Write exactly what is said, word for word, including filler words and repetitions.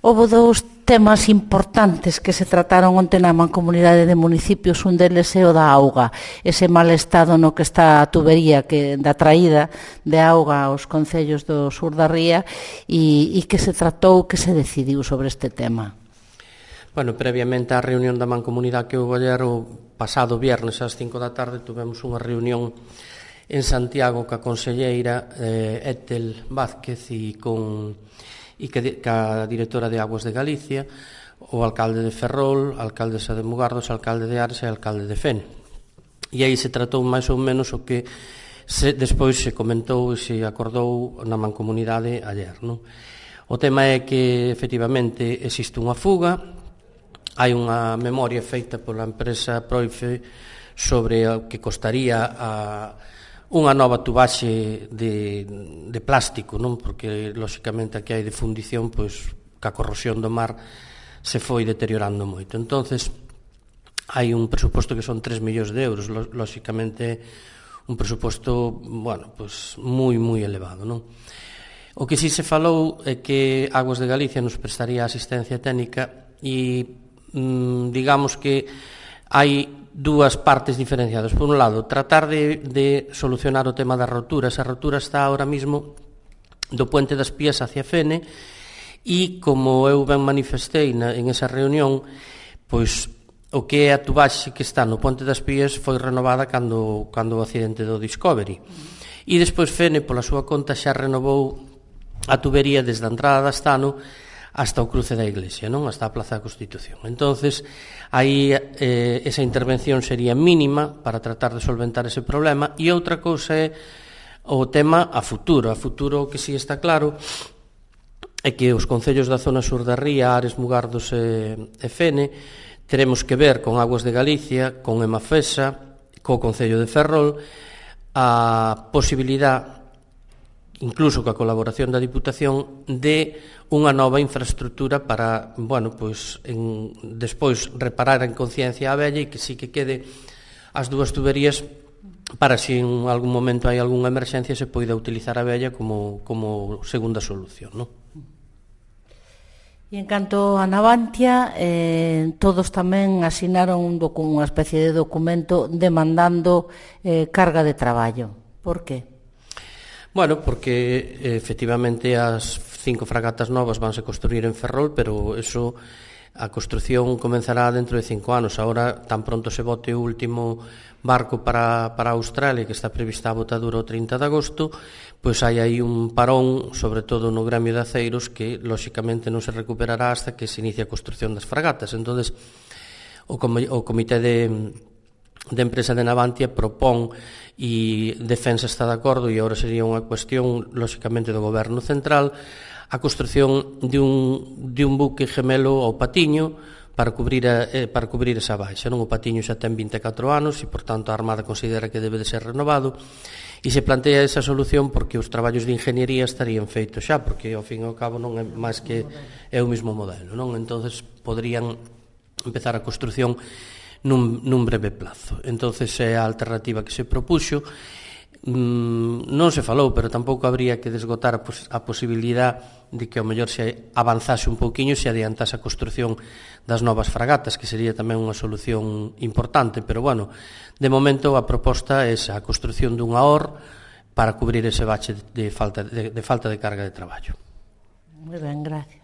Houve dous temas importantes que se trataron onte na Mancomunidade de Municipios, un deles é o da auga, ese mal estado no que está a tubería que, da traída de auga aos concellos do sur da ría e, e que se tratou, que se decidiu sobre este tema. Bueno, previamente á reunión da Mancomunidade que houve ayer, o pasado viernes ás cinco da tarde, tuvemos unha reunión en Santiago ca conselleira eh, Etel Vázquez e con e que a directora de Aguas de Galicia, o alcalde de Ferrol, a alcaldesa de Mugardos, o alcalde de Ares e o alcalde de Fene. E aí se tratou máis ou menos o que se, despois se comentou e se acordou na Mancomunidade ayer. Non? O tema é que, efectivamente, existe unha fuga, hai unha memoria feita pola empresa Proife sobre o que costaría a unha nova tubaxe de, de plástico, non? Porque, lóxicamente, aquí hai de fundición, pois, ca corrosión do mar se foi deteriorando moito. Entonces, hai un presuposto que son tres millóns de euros, lóxicamente, un presuposto, bueno, pois, moi, moi elevado, non? O que si se falou é que Aguas de Galicia nos prestaría asistencia técnica e, mm, digamos que hai dúas partes diferenciadas. Por un lado, tratar de, de solucionar o tema das roturas. A rotura está ahora mismo do Puente das Pías hacia Fene e, como eu ben manifestei na, en esa reunión, pois o que é a tubaxe que está no Puente das Pías foi renovada cando, cando o accidente do Discovery. E despois Fene, pola súa conta, xa renovou a tubería desde a entrada da Astano hasta o cruce da Iglesia, non? Hasta a Plaza da Constitución. Entonces, aí eh, esa intervención sería mínima para tratar de solventar ese problema. E outra cousa é o tema a futuro. A futuro, o que si está claro é que os concellos da zona sur da ría, Ares, Mugardos e, e Fene, teremos que ver con Aguas de Galicia, con Emafesa, co Concello de Ferrol, a posibilidade, incluso coa colaboración da Diputación, de unha nova infraestructura para, bueno, pois, en, despois reparar en conciencia a vella e que sí que quede as dúas tuberías para se en algún momento hai algunha emerxencia se poida utilizar a vella como, como segunda solución, non? E en canto a Navantia, eh, todos tamén asinaron un docu, unha especie de documento demandando eh, carga de traballo. Por que? Bueno, porque efectivamente as cinco fragatas novas vanse construir en Ferrol, pero eso, a construción comenzará dentro de cinco anos. Agora, tan pronto se bote o último barco para, para Australia, que está prevista a botadura o trinta de agosto, pois hai aí un parón, sobre todo no gremio de aceiros, que, lóxicamente, non se recuperará hasta que se inicie a construción das fragatas. Entonces, o, com o comité de... de empresa de Navantia propón e Defensa está de acordo, e agora sería unha cuestión, lóxicamente, do goberno central, a construción de un, de un buque gemelo ao Patiño para cubrir, a, eh, para cubrir esa baixa. Non? O Patiño xa ten vinte e catro anos e, por tanto, a Armada considera que debe de ser renovado e se plantea esa solución porque os traballos de ingeniería estarían feitos xa, porque, ao fin e ao cabo, non é máis que é o mesmo modelo, non? Entonces, poderían empezar a construción nun, nun breve plazo. Entonces é a alternativa que se propuxo. Mm, non se falou, pero tampouco habría que desgotar a, pos a posibilidade de que ao mellor se avanzase un pouquiño, se adiantase a construción das novas fragatas, que sería tamén unha solución importante, pero bueno, de momento a proposta é esa, a construción dunha O R para cubrir ese bache de falta de, de falta de carga de traballo. Moi ben, gracias.